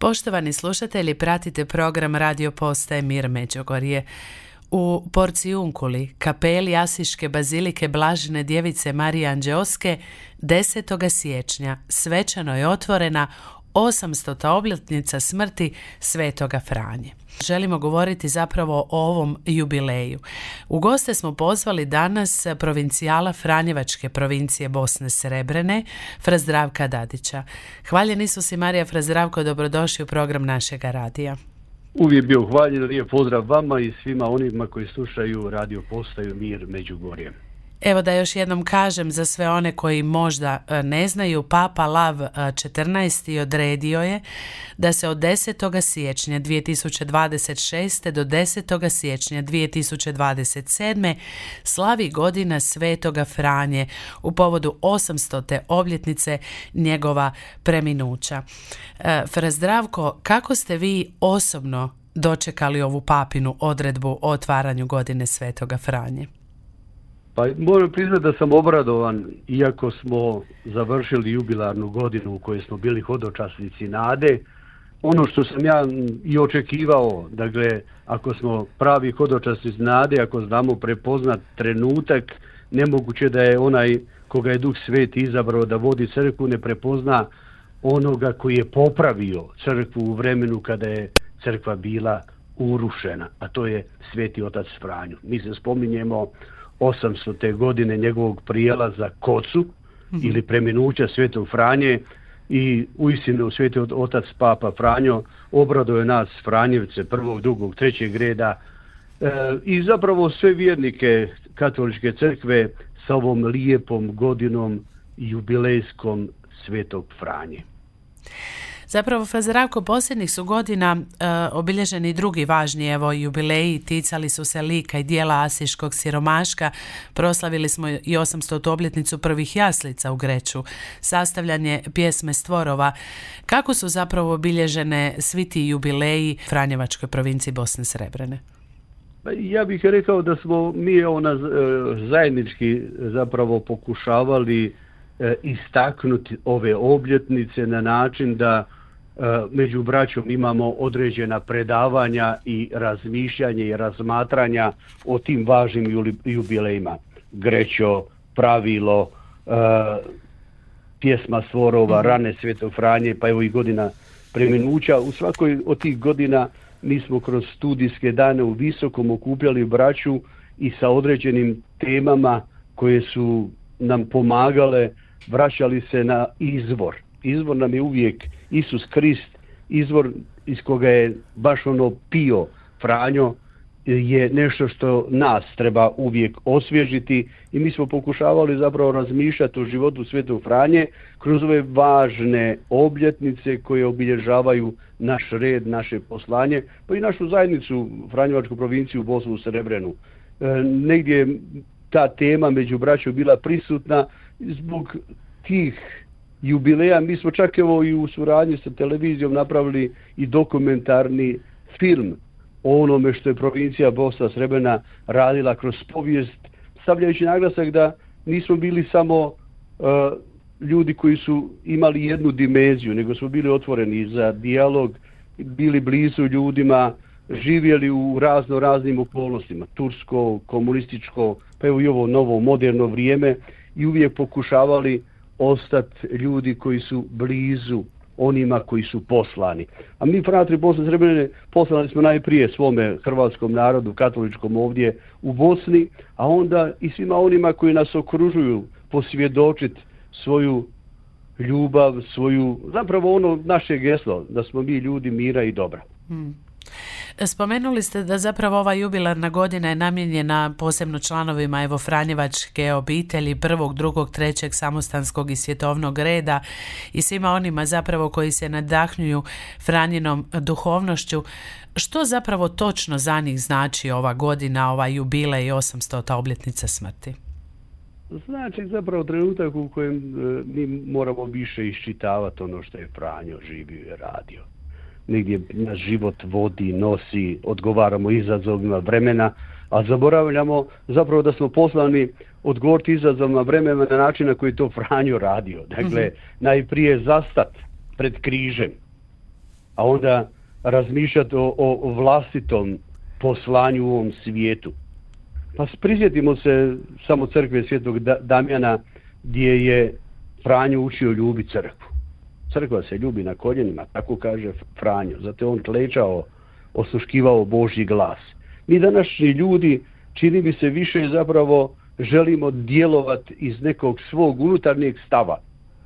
Poštovani slušatelji, pratite program Radio Postaje Mir Međugorje. U Porcijunkuli, kapeli Asiške bazilike Blažene djevice Marije Anđeoske, 10. siječnja svečano je otvorena 800. obljetnica smrti Svetoga Franje. Želimo govoriti zapravo o ovom jubileju. U goste smo pozvali danas provincijala Franjevačke provincije Bosne Srebrene, Fra Zdravka Dadića. Hvaljen Isus i Marija. Fra Zdravko, dobrodošli u program našega radija. Uvijek bio hvaljen, lijep pozdrav vama i svima onima koji slušaju Radio Postaju Mir Međugorje. Evo da još jednom kažem za sve one koji možda ne znaju, Papa Lav XIV odredio je da se od 10. siječnja 2026. do 10. siječnja 2027. slavi godina Svetoga Franje u povodu 800. obljetnice njegova preminuća. Fra Zdravko, kako ste vi osobno dočekali ovu papinu odredbu o otvaranju godine Svetoga Franje? Pa moram priznati da sam obradovan, iako smo završili jubilarnu godinu u kojoj smo bili hodočasnici nade. Ono što sam ja i očekivao, dakle, ako smo pravi hodočasnici nade, ako znamo prepoznat trenutak, nemoguće da je onaj koga je Duh Sveti izabrao da vodi crkvu ne prepozna onoga koji je popravio crkvu u vremenu kada je crkva bila urušena, a to je Sveti otac Franjo. Mi se spominjemo 800. godine njegovog prijelaza Kocu ili preminuća Svetog Franje i uistinu Sveti otac Papa Franjo obraduje je nas Franjevce prvog, drugog, trećeg reda i zapravo sve vjernike katoličke crkve sa ovom lijepom godinom jubilejskom Svetog Franje. Zapravo, Fra Zdravko, posljednjih su godina obilježeni drugi važni jubileji, ticali su se lika i dijela asiškog siromaška, proslavili smo i 800. obljetnicu prvih jaslica u Greču, sastavljanje pjesme Stvorova. Kako su zapravo obilježene svi ti jubileji Franjevačkoj provinciji Bosne Srebrene? Ja bih rekao da smo mi zajednički zapravo pokušavali istaknuti ove obljetnice na način da među braćom imamo određena predavanja i razmišljanje i razmatranja o tim važnim jubilejima. Grećo, pravilo, pjesma Stvorova, rane Svetog Franje, pa evo i godina preminuća. U svakoj od tih godina mi smo kroz studijske dane u Visokom okupljali braću i sa određenim temama koje su nam pomagale, vraćali se na izvor. Izvor nam je uvijek Isus Krist, izvor iz koga je baš ono pio Franjo je nešto što nas treba uvijek osvježiti i mi smo pokušavali zapravo razmišljati o životu Svetog Franje kroz ove važne obljetnice koje obilježavaju naš red, naše poslanje, pa i našu zajednicu, Franjevačku provinciju Bosnu Srebrenu. Negdje je ta tema među braćom bila prisutna zbog tih jubileja. Mi smo čak evo i u suradnji sa televizijom napravili i dokumentarni film o onome što je provincija Bosna Srebrena radila kroz povijest, stavljajući naglasak da nismo bili samo ljudi koji su imali jednu dimenziju, nego smo bili otvoreni za dijalog, bili blizu ljudima, živjeli u raznim okolnostima, tursko, komunističko, pa evo i ovo novo moderno vrijeme i uvijek pokušavali ostati ljudi koji su blizu onima koji su poslani. A mi, fratri Bosne Srebrene, poslani smo najprije svome hrvatskom narodu, katoličkom ovdje u Bosni, a onda i svima onima koji nas okružuju posvjedočiti svoju ljubav, zapravo ono naše geslo, da smo mi ljudi mira i dobra. Spomenuli ste da zapravo ova jubilarna godina je namijenjena posebno članovima Franjevačke obitelji prvog, drugog, trećeg samostanskog i svjetovnog reda i svima onima zapravo koji se nadahnjuju Franjinom duhovnošću. Što zapravo točno za njih znači ova godina, ova jubilej i 800. obljetnica smrti? Znači zapravo trenutak u kojem mi moramo više iščitavati ono što je Franjo živio i radio. Negdje naš život vodi, nosi, odgovaramo izazovima vremena, a zaboravljamo zapravo da smo poslani odgovoriti izazovima vremena na način na koji je to Franjo radio. Dakle, najprije zastat pred križem, a onda razmišljati o vlastitom poslanju u ovom svijetu. Pa prisjetimo se samo crkve Svetog Damjana gdje je Franjo učio ljubiti crkvu. Crkva se ljubi na koljenima, tako kaže Franjo. Zato je on klečao, osluškivao Božji glas. Mi današnji ljudi, čini mi se, više zapravo želimo djelovati iz nekog svog unutarnjeg stava,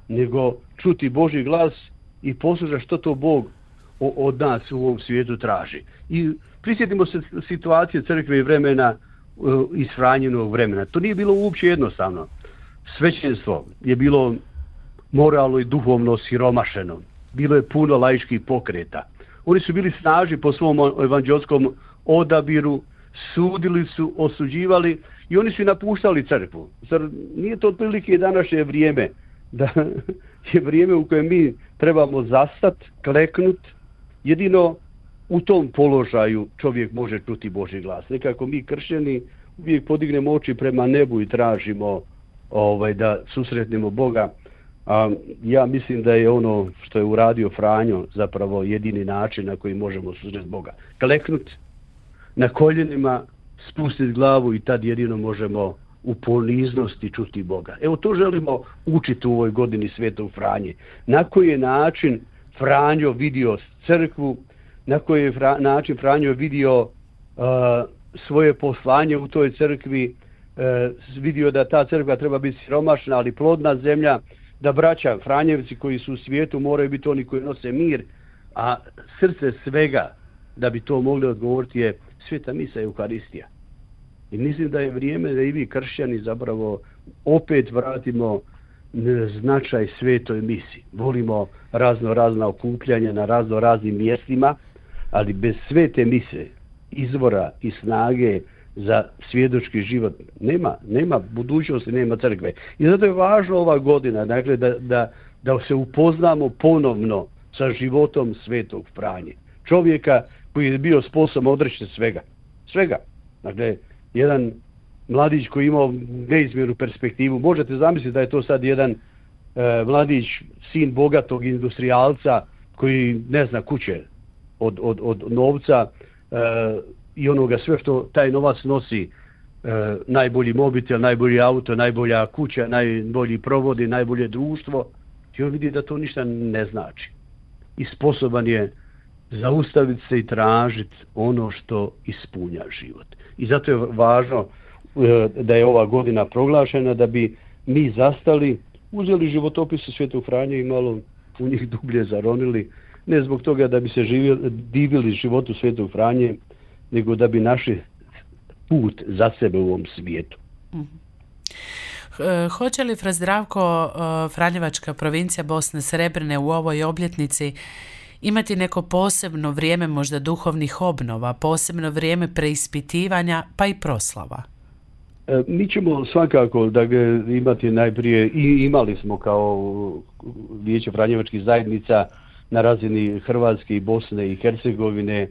nego čuti Božji glas i poslušati što to Bog od nas u ovom svijetu traži. I prisjetimo se situacije crkve i vremena iz Franjinog vremena. To nije bilo uopće jednostavno. Svećenstvo je bilo moralno i duhovno siromašeno. Bilo je puno laičkih pokreta. Oni su bili snažni po svom evanđelskom odabiru, sudili su, osuđivali i oni su napuštali crkvu. Zar nije to otprilike današnje vrijeme? Da je vrijeme u kojem mi trebamo zastati, kleknuti. Jedino u tom položaju čovjek može čuti Božji glas. Nekako mi kršćani uvijek podignemo oči prema nebu i tražimo da susretnemo Boga. Ja mislim da je ono što je uradio Franjo zapravo jedini način na koji možemo susreti Boga. Kleknuti na koljenima, spustiti glavu i tad jedino možemo u poniznosti čuti Boga. Evo to želimo učiti u ovoj godini Svetog Franje. Na koji je način Franjo vidio crkvu, na koji je način Franjo vidio svoje poslanje u toj crkvi, vidio da ta crkva treba biti siromašna, ali plodna zemlja, da braća Franjevci koji su u svijetu moraju biti oni koji nose mir, a srce svega da bi to mogli odgovoriti je Sveta misa Euharistija. I mislim da je vrijeme da i vi kršćani zapravo opet vratimo značaj svetoj misi. Volimo razna okupljanja na raznim mjestima, ali bez svete mise, izvora i snage za svjedočki život nema budućnosti, nema crkve. I zato je važno ova godina, dakle, da se upoznamo ponovno sa životom Svetog Franje. Čovjeka koji je bio sposoban odreći svega. Dakle, jedan mladić koji je imao neizmjernu perspektivu. Možete zamisliti da je to sad jedan mladić, sin bogatog industrijalca koji ne zna kuće od novca i onoga sve što taj novac nosi, najbolji mobitel, najbolji auto, najbolja kuća, najbolji provodi, najbolje društvo. I on vidi da to ništa ne znači. I sposoban je zaustaviti se i tražiti ono što ispunja život. I zato je važno da je ova godina proglašena da bi mi zastali, uzeli životopise Svetog Franje i malo u njih dublje zaronili, ne zbog toga da bi se divili životu Svetog Franje, nego da bi našli put za sebe u ovom svijetu. Hoće li Fra Zdravko, Franjevačka provincija Bosne Srebrne u ovoj obljetnici imati neko posebno vrijeme možda duhovnih obnova, posebno vrijeme preispitivanja pa i proslava? Mi ćemo svakako imati najprije i imali smo kao Vijeće Franjevačkih zajednica na razini Hrvatske i Bosne i Hercegovine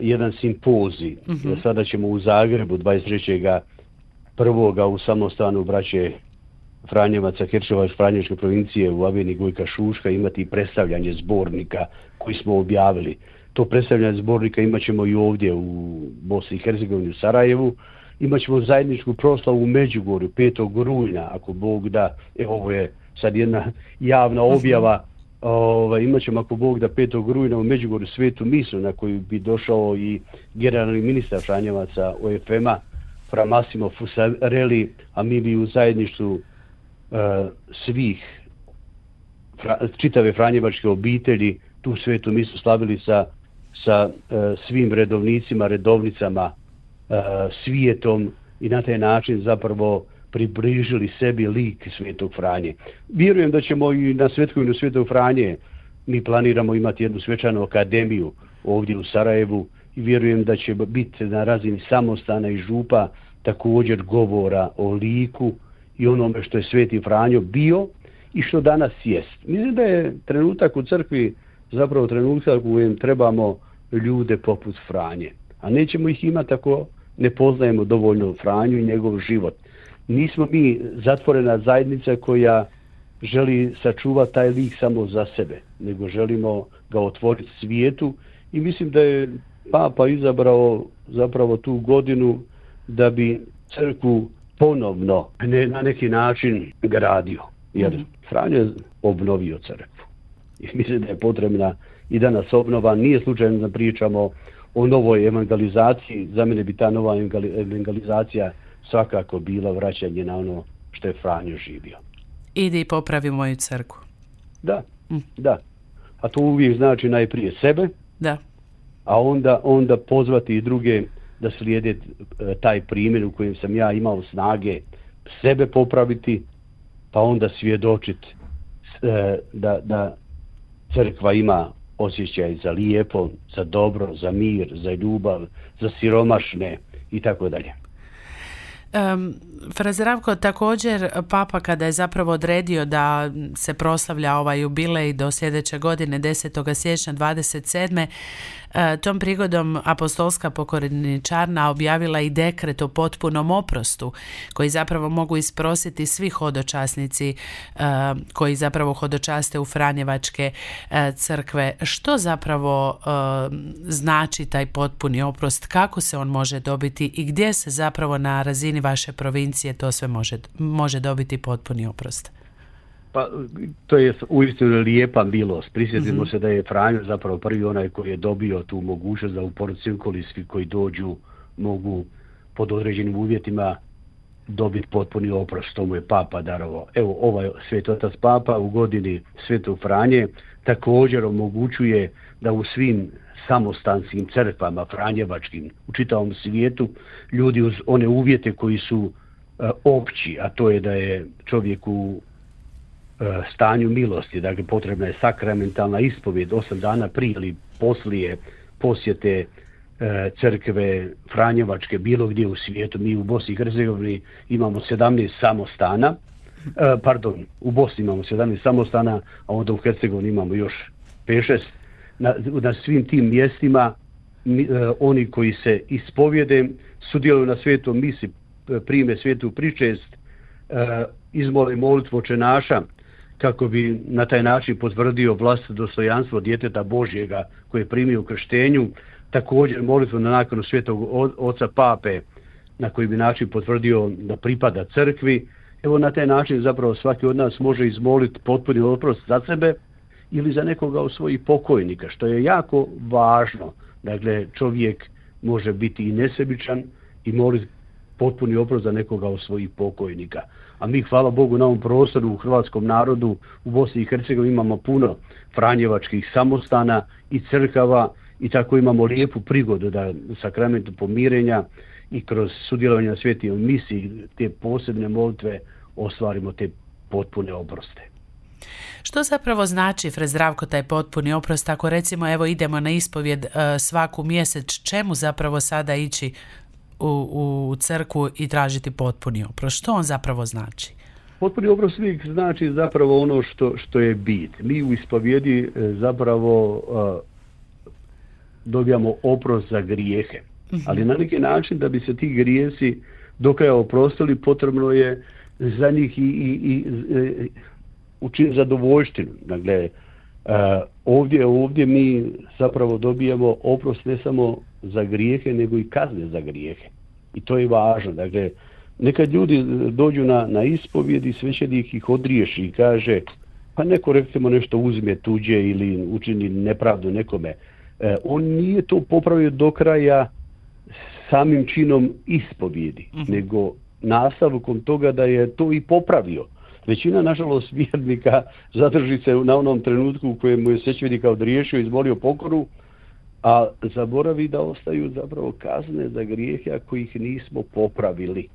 jedan simpozij. Sada ćemo u Zagrebu 23.1. u samostanu braće Franjevaca Hercegovačke Franjevačke provincije u Aveni Gojka Šuška imati predstavljanje zbornika koji smo objavili. To predstavljanje zbornika imat ćemo i ovdje u Bosni i Hercegovini u Sarajevu. Imat ćemo zajedničku proslavu u Međugorju 5. rujna, ako Bog da. Ovo je sad jedna javna objava. Imat ćemo, ako Bog da, 5. rujna u Međugorju svetu misu na koju bi došao i generalni ministar Franjevaca OFM-a Fra Massimo Fusarelli, a mi bi u zajedništvu svih čitave franjevačke obitelji tu svetu misu slavili sa svim redovnicima, redovnicama, svijetom i na taj način zapravo približili sebi lik Svetog Franje. Vjerujem da ćemo i na Svetkovinu Svetog Franje, mi planiramo imati jednu svečanu akademiju ovdje u Sarajevu i vjerujem da će biti na razini samostana i župa također govora o liku i onome što je Sveti Franjo bio i što danas jest. Mislim da je trenutak u crkvi zapravo trenutak u kojem trebamo ljude poput Franje. A nećemo ih imati ako ne poznajemo dovoljno Franju i njegov život. Nismo mi zatvorena zajednica koja želi sačuvati taj lik samo za sebe, nego želimo ga otvoriti svijetu i mislim da je Papa izabrao zapravo tu godinu da bi crkvu ponovno na neki način gradio. Jer Franjo je obnovio crkvu. I mislim da je potrebna i danas obnova. Nije slučajno da pričamo o novoj evangelizaciji. Za mene bi ta nova evangelizacija svakako bila vraćanje na ono što je Franjo živio. Idi i popravi moju crkvu. Da. A to uvijek znači najprije sebe, a onda pozvati i druge da slijede taj primjer u kojem sam ja imao snage sebe popraviti, pa onda svjedočiti da crkva ima osjećaj za lijepo, za dobro, za mir, za ljubav, za siromašne i tako dalje. Fra Zdravko, također Papa kada je zapravo odredio da se proslavlja ovaj jubilej do sljedeće godine 10. siječnja 27. Tom prigodom apostolska pokorničarna objavila i dekret o potpunom oprostu koji zapravo mogu isprositi svi hodočasnici koji zapravo hodočaste u Franjevačke crkve. Što zapravo znači taj potpuni oprost? Kako se on može dobiti i gdje se zapravo na razini vaše provincije to sve može dobiti potpuni oprost? Pa, to je uistinu lijepa milost. Prisjetimo se da je Franjo zapravo prvi onaj koji je dobio tu mogućnost da u Porciunkoli svi koji dođu mogu pod određenim uvjetima dobiti potpuni oprost. To mu je Papa darovao. Evo, ovaj Sveti Otac Papa u godini Svetog Franje također omogućuje da u svim samostanskim crkvama franjevačkim u čitavom svijetu ljudi uz one uvjete koji su opći, a to je da je čovjek u stanju milosti, dakle potrebna je sakramentalna ispovjed 8 dana prije ili poslije posjete crkve Franjevačke bilo gdje u svijetu. Mi u Bosni i Hercegovini imamo 17 samostana, u Bosni imamo 17 samostana, a onda u Hercegovini imamo još 5-6. Na svim tim mjestima oni koji se ispovjede sudjeluju na svetom misi, prime svetu pričest, izmole molitvu Oče naša, kako bi na taj način potvrdio vlastito dostojanstvo djeteta Božjega koje je primio u krštenju, također molitvu na nakanu Svetog Oca Pape na koji bi način potvrdio da pripada crkvi. Evo na taj način zapravo svaki od nas može izmoliti potpuni oprost za sebe ili za nekoga od svojih pokojnika, što je jako važno. Dakle, čovjek može biti i nesebičan i moliti potpuni oprost za nekoga od svojih pokojnika. A mi, hvala Bogu, na ovom prostoru u hrvatskom narodu u Bosni i Hercegovini imamo puno franjevačkih samostana i crkava i tako imamo lijepu prigodu da u sakramentu pomirenja i kroz sudjelovanje na svetoj misi te posebne molitve ostvarimo te potpune oproste. Što zapravo znači, Fra Zdravko, taj potpuni oprost? Ako recimo evo idemo na ispovjed svaku mjesec, čemu zapravo sada ići u crkvu i tražiti potpuni oprost? Što on zapravo znači? Potpuni oprost uvijek znači zapravo ono što je bit. Mi u ispovjedi zapravo dobijamo oprost za grijehe. Ali na neki način da bi se ti grijesi do kraja oprostili, potrebno je za njih i učiniti zadovoljštinu. Dakle, ovdje mi zapravo dobijamo oprost ne samo za grijehe, nego i kazne za grijehe. I to je važno. Dakle, nekad ljudi dođu na ispovjed i svećenik ih odriješi i kaže, pa neko recimo nešto uzme tuđe ili učini nepravdu nekome. On nije to popravio do kraja samim činom ispovjedi, nego nastavkom toga da je to i popravio. Većina, nažalost, vjernika zadrži se na onom trenutku u kojemu je svećenika odriješio i izmolio pokoru, a zaboravi da ostaju zapravo kazne za grijehe ako ih nismo popravili.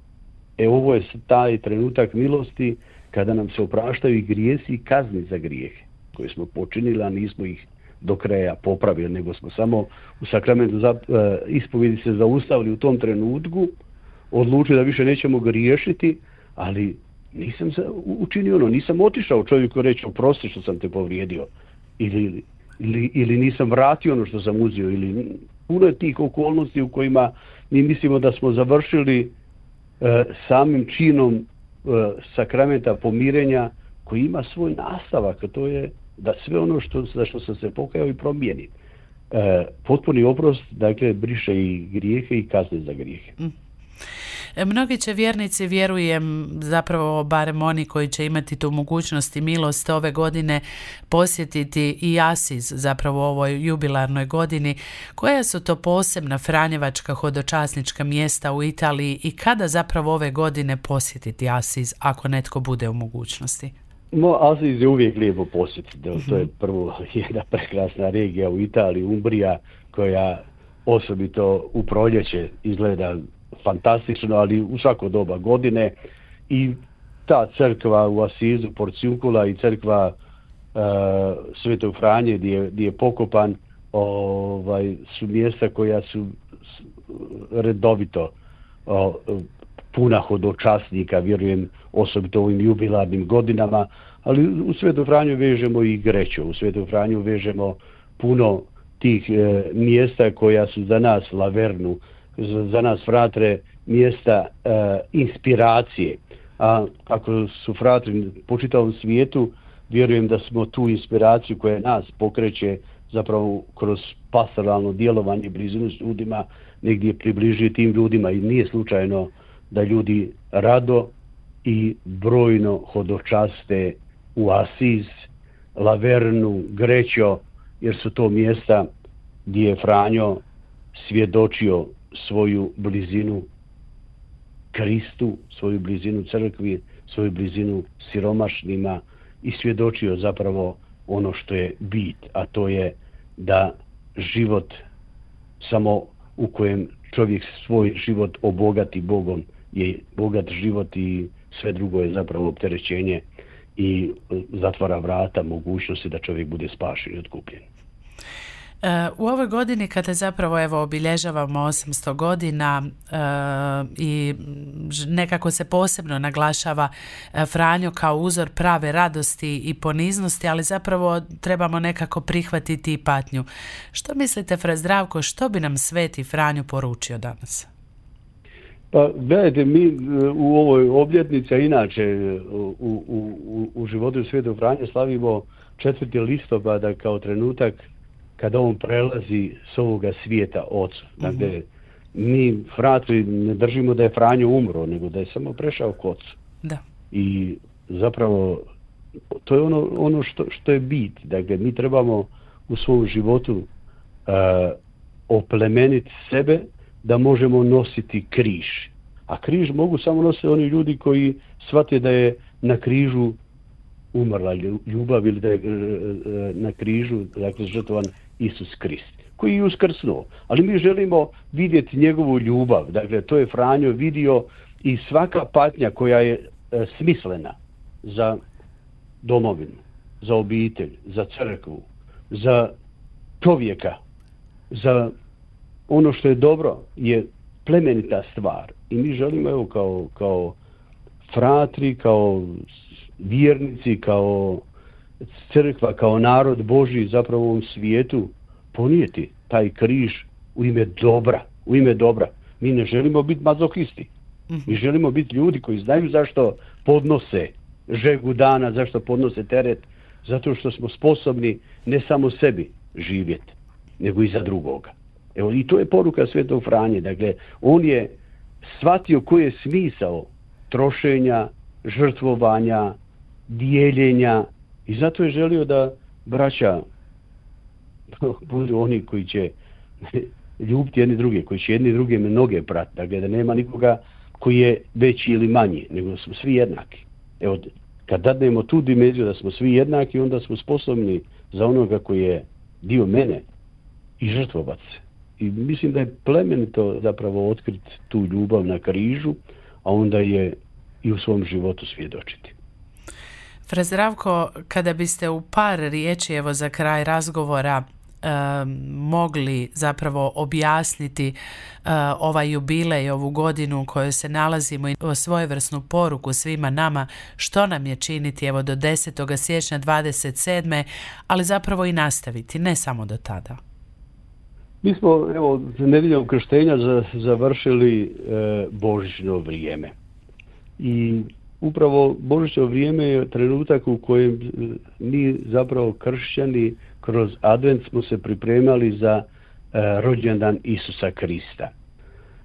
Ovo je taj trenutak milosti kada nam se opraštaju i grijesi i kazni za grijehe koje smo počinili, a nismo ih do kraja popravili, nego smo samo u sakramentu ispovjedi se zaustavili u tom trenutku, odlučili da više nećemo griješiti, ali nisam učinio nisam otišao čovjeku reći oprosti što sam te povrijedio ili nisam vratio ono što sam uzeo ili puno je tih okolnosti u kojima mi mislimo da smo završili samim činom sakramenta pomirenja koji ima svoj nastavak, a to je da sve ono za što sam se pokajao i promijeni. Potpuni oprost, dakle, briše i grijehe i kazne za grijehe. Mnogi će vjernici, vjerujem, zapravo barem oni koji će imati tu mogućnost i milost ove godine posjetiti i Asiz, zapravo u ovoj jubilarnoj godini. Koja su to posebna franjevačka hodočasnička mjesta u Italiji i kada zapravo ove godine posjetiti Asiz, ako netko bude u mogućnosti? Asiz je uvijek lijepo posjetiti. To je prvo jedna prekrasna regija u Italiji, Umbrija, koja osobito u proljeće izgleda fantastično, ali u svako doba godine. I ta crkva u Asizu, Porciuncula, i crkva Svetog Franje gdje je pokopan, su mjesta koja su redovito puna hodočasnika, vjerujem, osobito u ovim jubilarnim godinama, ali u Svetom Franju vežemo i Greću, u Svetom Franju vežemo puno tih mjesta koja su za nas, Lavernu, za nas fratre, mjesta inspiracije. A ako su fratri po čitavom svijetu, vjerujem da smo tu inspiraciju koja nas pokreće zapravo kroz pastoralno djelovanje, blizinu s ljudima, negdje približiti tim ljudima, i nije slučajno da ljudi rado i brojno hodočaste u Asiz, Lavernu, Grećo, jer su to mjesta gdje je Franjo svjedočio svoju blizinu Kristu, svoju blizinu crkvi, svoju blizinu siromašnima i svjedočio zapravo ono što je bit, a to je da život samo u kojem čovjek svoj život obogati Bogom je bogat život, i sve drugo je zapravo opterećenje i zatvara vrata mogućnosti da čovjek bude spašen i otkupljen. U ovoj godini kada zapravo obilježavamo 800 godina i nekako se posebno naglašava Franjo kao uzor prave radosti i poniznosti, ali zapravo trebamo nekako prihvatiti i patnju. Što mislite, Fra Zdravko, što bi nam Sveti Franjo poručio danas? Pa gledajte, mi u ovoj obljetnici, a inače u životu Svetog Franje slavimo 4. listopada kao trenutak kada on prelazi s ovoga svijeta Ocu. Dakle, mi fratri ne držimo da je Franjo umro, nego da je samo prešao k Ocu. Da. I zapravo to je ono što je bit. Dakle, mi trebamo u svom životu oplemeniti sebe da možemo nositi križ. A križ mogu samo nositi oni ljudi koji shvate da je na križu umrla ljubav, ili da je na križu, dakle, žrtvovan Isus Krist, koji je uskrsnuo. Ali mi želimo vidjeti njegovu ljubav. Dakle, to je Franjo vidio, i svaka patnja koja je smislena za domovinu, za obitelj, za crkvu, za čovjeka, za ono što je dobro, je plemenita stvar. I mi želimo, kao fratri, kao vjernici, kao crkva, kao narod Božji zapravo u ovom svijetu ponijeti taj križ u ime dobra. Mi ne želimo biti mazohisti. Mi želimo biti ljudi koji znaju zašto podnose žegu dana, zašto podnose teret, zato što smo sposobni ne samo sebi živjeti, nego i za drugoga. Evo, i to je poruka Svetog Franje. Dakle, on je shvatio koji je smisao trošenja, žrtvovanja, dijeljenja, i zato je želio da braća budu oni koji će ljubiti jedni druge, koji će jedni druge mnoge prati. Dakle, da nema nikoga koji je veći ili manji, nego smo svi jednaki. Evo, kad dadnemo tu dimenziju da smo svi jednaki, onda smo sposobni za onoga koji je dio mene i žrtvovat se. I mislim da je plemenito zapravo otkriti tu ljubav na križu, a onda je i u svom životu svjedočiti. Fra Zdravko, kada biste u par riječi, za kraj razgovora, mogli zapravo objasniti ovaj jubilej, ovu godinu u kojoj se nalazimo, i svojevrsnu poruku svima nama što nam je činiti do 10. siječnja 27. ali zapravo i nastaviti, ne samo do tada. Mi smo nedjeljom krštenja završili božićno vrijeme. I upravo Božićno vrijeme je trenutak u kojem mi zapravo kršćani kroz advent smo se pripremali za rođendan Isusa Krista.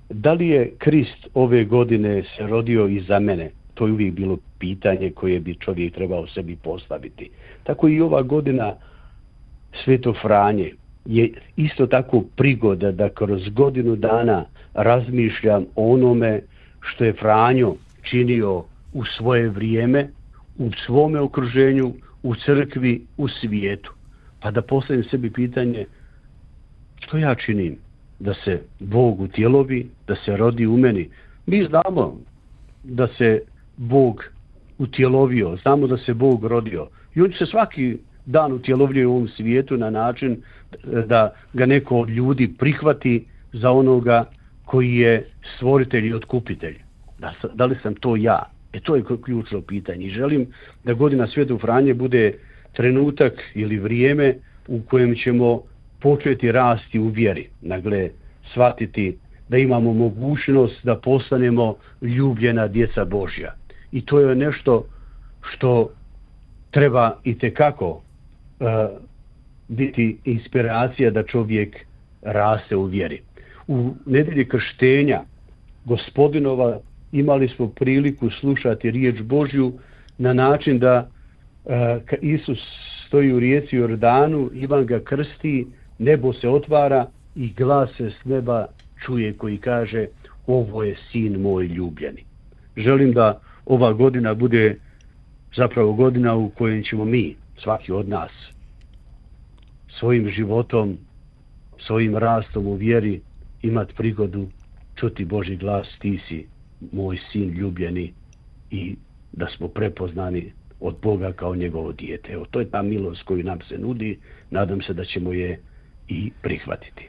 Da li je Krist ove godine se rodio i za mene? To je uvijek bilo pitanje koje bi čovjek trebao sebi postaviti. Tako i ova godina Sveto Franje je isto tako prigoda da kroz godinu dana razmišljam o onome što je Franjo činio u svoje vrijeme, u svome okruženju, u crkvi, u svijetu. Pa da postavim sebi pitanje što ja činim da se Bog utjelovi, da se rodi u meni. Mi znamo da se Bog utjelovio, znamo da se Bog rodio. I on se svaki dan utjelovljuje u ovom svijetu na način da ga neko od ljudi prihvati za onoga koji je stvoritelj i otkupitelj. Da li sam to ja? To je ključno pitanje. I želim da godina Svetog Franje bude trenutak ili vrijeme u kojem ćemo početi rasti u vjeri. Dakle, shvatiti da imamo mogućnost da postanemo ljubljena djeca Božja. I to je nešto što treba itekako biti inspiracija da čovjek raste u vjeri. U nedjelji krštenja Gospodinova imali smo priliku slušati riječ Božju na način da Isus stoji u rijeci Jordanu, Ivan ga krsti, nebo se otvara i glas se s neba čuje koji kaže ovo je sin moj ljubljeni. Želim da ova godina bude zapravo godina u kojoj ćemo mi, svaki od nas, svojim životom, svojim rastom u vjeri imati prigodu čuti Božji glas, ti si moj sin ljubljeni, i da smo prepoznani od Boga kao njegovo dijete. Evo, to je ta milost koju nam se nudi, nadam se da ćemo je i prihvatiti.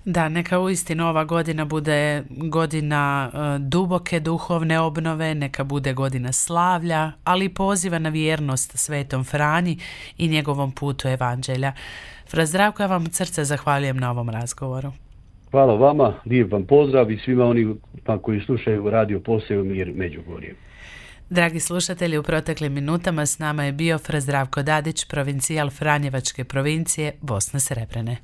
Da, neka uistinu ova godina bude godina duboke duhovne obnove, neka bude godina slavlja, ali i poziva na vjernost Svetom Franji i njegovom putu evanđelja. Fra Zdravko, ja vam od srca zahvaljujem na ovom razgovoru. Hvala vama, lijep vam pozdrav i svima onima koji slušaju Radio Postaje Mir Međugorje. Dragi slušatelji, u proteklim minutama s nama je bio Fra Zdravko Dadić, provincijal Franjevačke provincije Bosne Srebrene.